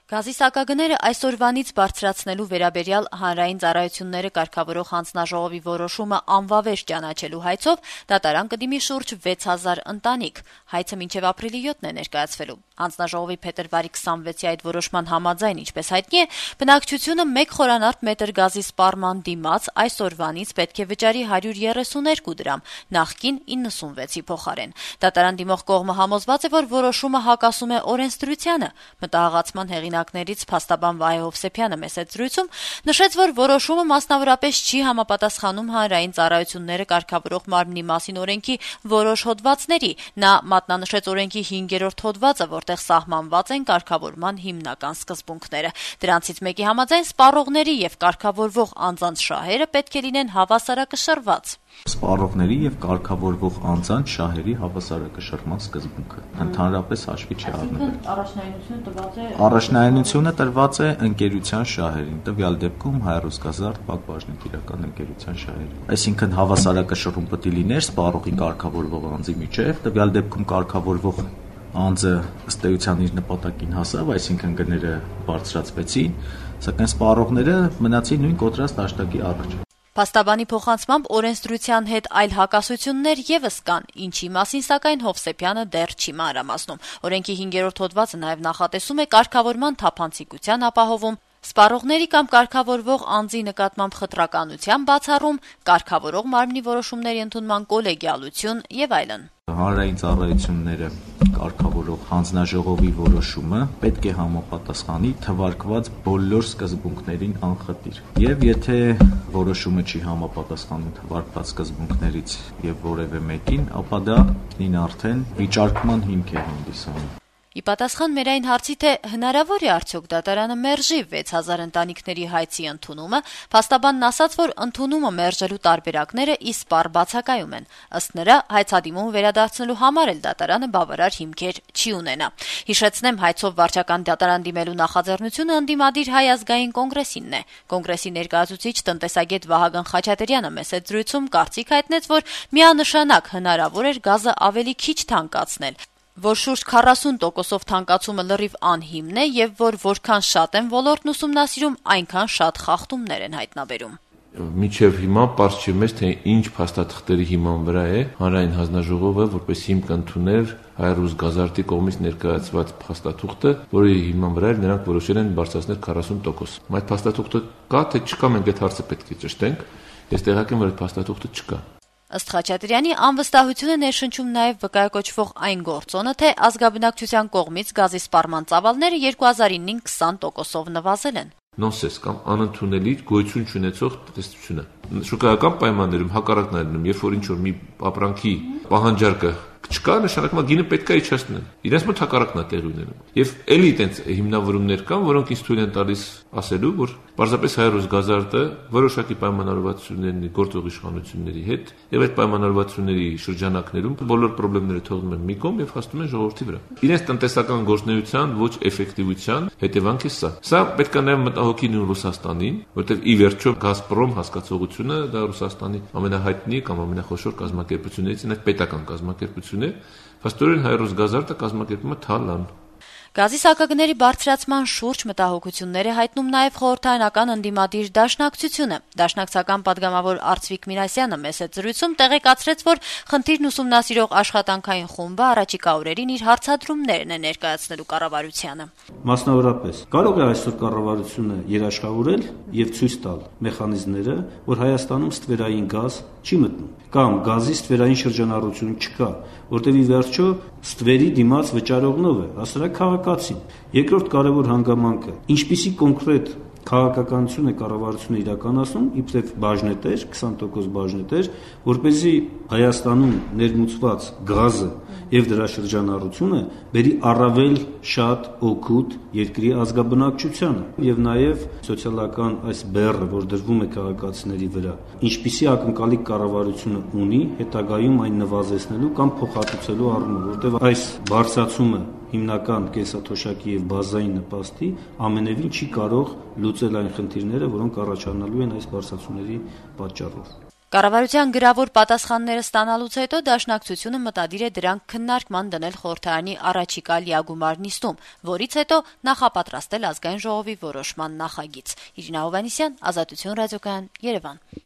Գազի սակագները այսօրվանից բարձրացնելու վերաբերյալ հանրային ծառայությունները կարգավորող հանձնաժողովի որոշումը անվավեր ճանաչելու հայցով դատարան կդիմի շուրջ 6000 ընտանիք։ Հայցը մինչև ապրիլի 7-ն է ներկայացվելու։ Հանձնաժողովի փետրվարի 26-ի այդ որոշման համաձայն, ինչպես հայտնի է, բնակչությունը 1 խորանարդ մետր գազի սպառման դիմաց այսօրվանից պետք է վճարի 132 դրամ, նախկին 96-ի փոխարեն։ Դատարան դիմող կողմը համոզված է, որ որոշումը հակասում է օրենսդրությանը։ Մտահղացման հեղինակներից փաստաբան Վահե Հովսեփյանը մեծ զրույցում նշեց, որ որոշումը մասնավորապես չի համապատասխանում հանրային ծառայությունները կարգավորող մարմնի մասին օրենքի որոշ հոդվածների։ Նա մատնանշեց օրենքի 5-րդ հոդվածը, որտեղ սահմանված են կարգավորման հիմնական սկզբունքները։ Դրանցից մեկի համաձայն սպառողների եւ կարգավորվող անձանց շահերը պետք է լինեն հավասարակշռված։ Սպառողների եւ կարգավորվող անձանց շահերի հավասարակշռման սկզբունքը ընդհանրապես հաշվի չի առնվել։ Առաջնայինությունը տրված է ընկերության շահերին, տվյալ դեպքում Հայ-Ռուսգազարդ Բաժնետիրական ընկերության շահերին։ Այսինքն հավասարակշռում պետք է լիներ սպառողի կարգավորվող անձի միջև, տվյալ դեպքում կարգավորվող անձը ըստ էության իր նպատակին հասավ, այսինքն գները բարձրացվեցին, սակայն սպառողները մնացին նույն կոտրած դաշտակի առաջ։ Փաստաբանի փոխանցմամբ օրենսդրության հետ այլ հակասություններ եւս կան, ինչի մասին սակայն Հովսեփյանը դեռ չի մանրամասնում։ Օրենքի 5-րդ հոդվածը նաեւ նախատեսում է կարգավորման թափանցիկության ապահովում, սպառողների կամ կարգավորվող անձի նկատմամբ խտրականության բացառում, կարգավորող մարմնի որոշումների ընդունման կոլեգիալություն եւ այլն։ Հանրային ծառայությունները կարգավորող հանձնաժողովի որոշումը պետք է համապատասխանի թվարկված բոլոր սկզբունքներին անխտիր։ Եվ եթե որոշումը չի համապատասխանում թվարկված սկզբունքներից եւ որևէ մեկին, ապա դա ինքնին արդեն վիճարկման հիմք է հանդիսանում։ Ի պատասխան մեր այն հարցի, թե հնարավոր է արդյոք դատարանը մերժի 6000 ընտանիքների հայցի ընդունումը, փաստաբանն ասաց, որ ընդունումը մերժելու տարբերակները իսպառ բացակայում են։ Ըստ նրա, հայցադիմումը վերադարձնելու համար էլ դատարանը բավարար հիմքեր չի ունենա։ Հիշեցնեմ, հայցով վարչական դատարան դիմելու նախաձեռնությունը ընդդիմադիր Հայ ազգային կոնգրեսինն է։ Կոնգրեսի ներկայացուցիչ տնտեսագետ Վահագն Խաչատրյանը մեծ զրույցում կարծիք հայտնեց, որ միանշանակ հնարավոր էր գազը ավելի քիչ թանկացնել, որ շուրջ 40%-ով թանկացումը լրիվ անհիմն է եւ որ որքան շատ են ոլորտն ուսումնասիրում, այնքան շատ խախտումներ են հայտնաբերում։ Մինչև հիմա պարզ չի մեզ, թե ինչ փաստաթղթերի հիման վրա է հանրային հանձնաժողովը որպես հիմք ընդունել Հայ-Ռուսգազարդի կողմից ներկայացված փաստաթուղթը, որի հիման վրա նրանք որոշել են բարձրացնել 40%։ Այդ փաստաթուղթը կա, թե չկա, մենք այդ հարցը պետք է ճշտենք։ Ես տեղյակ եմ, որ այդ փաստաթուղթը չկա։ Ըստ Խաչատրյանի, անվստահություն է ներշնչում նաև վկայակոչվող այն գործոնը, թե ազգաբնակչության կողմից գազի սպառման ծավալները 2009-ին 20%-ով նվազել են։ Նոնսենս կամ անընդունելի գոյություն չունեցող տեսությունը։ Շուկայական պայմաններում հակառակն է լինում, երբ որ ինչ-որ մի ապրանքի պահանջարկը չկա, նշանակում է գինը պետք է իջեցնել։ Իրենց մոտ հակառակն է տեղի ունենում։ Եվ էլի այդպես հիմնավորումներ կան, որոնք ինձ թույլ են տալիս ասելու, որ պարզապես Հայ-Ռուսգազարդը որոշակի պայմանավորվածություններ ունի գործող իշխանությունների հետ, եւ այդ պայմանավորվածությունների շրջանակներում բոլոր խնդիրները թողնում են մի կողմ եւ հասնում են ժողովրդի վրա։ Իրենց տնտեսական գործունեության ոչ էֆեկտիվության հետևանք է սա։ Սա պետք է նաեւ մտահոգի նույն Ռուսաստանին, որտեղ ի վերջո Գազպրոմ հասկացողությունը դա Ռուսաստանի ամենահայտնի կամ ամենախոշոր կազմակերպություններից է, պետական կազմակերպություն է, փաստորեն Հայ-Ռուսգազարդը կազմակերպումը թալան։ Գազի սակագների բարձրացման շուրջ մտահոգություններ է հայտնում նաև խորհրդարանական ընդդիմադիր դաշնակցությունը։ Դաշնակցական պատգամավոր Արծվիկ Միրասյանը մեծ զրույցում տեղեկացրեց, որ խնդիրն ուսումնասիրող աշխատանքային խումբը առաջիկա օրերին իր հարցադրումներն է ներկայացնելու կառավարությանը։ Մասնավորապես, կարող է այսօր կառավարությունը երաշխավորել եւ ցույց տալ մեխանիզմները, որ Հայաստանում ստվերային գազ չի մտնում, կամ գազի ստվերային շրջանառություն չկա, որտեղ ի վերջո ստվերի դիմաց վճարողնով է, հասարակ քաղաքացին։ Երկրորդ կարևոր հանգամանքը, ինչպիսի կոնկրետ քաղաքականություն է կառավարությունը իրականացնում, իբրև բաժնետեր, 20% բաժնետեր, որպեսզի Հայաստանում ներմուծված գազը եւ դրա շրջանառությունը բերի առավել շատ օգուտ երկրի ազգաբնակչությանը եւ նաեւ սոցիալական այս բեռը, որ դրվում է քաղաքացիների վրա, ինչպիսի ակնկալիք կառավարությունը ունի հետագայում այն նվազեցնելու կամ փոխհատուցելու առումով, որտեղ այս բարձրացումը հիմնական կենսաթոշակի եւ բազային նպաստի ամենևին չի կարող լուծել այն խնդիրները, որոնք առաջանալու են այս բարձրացումների պատճառով։ Կառավարության գրավոր պատասխանները ստանալուց հետո Դաշնակցությունը մտադիր է դրանք քննարկման դնել խորհրդարանի առաջիկա լիագումար նիստում, որից հետո նախապատրաստել ազգային ժողովի որոշման նախագիծ։ Իրինա Հովհաննիսյան, Ազատություն ռադիոկայան, Երևան։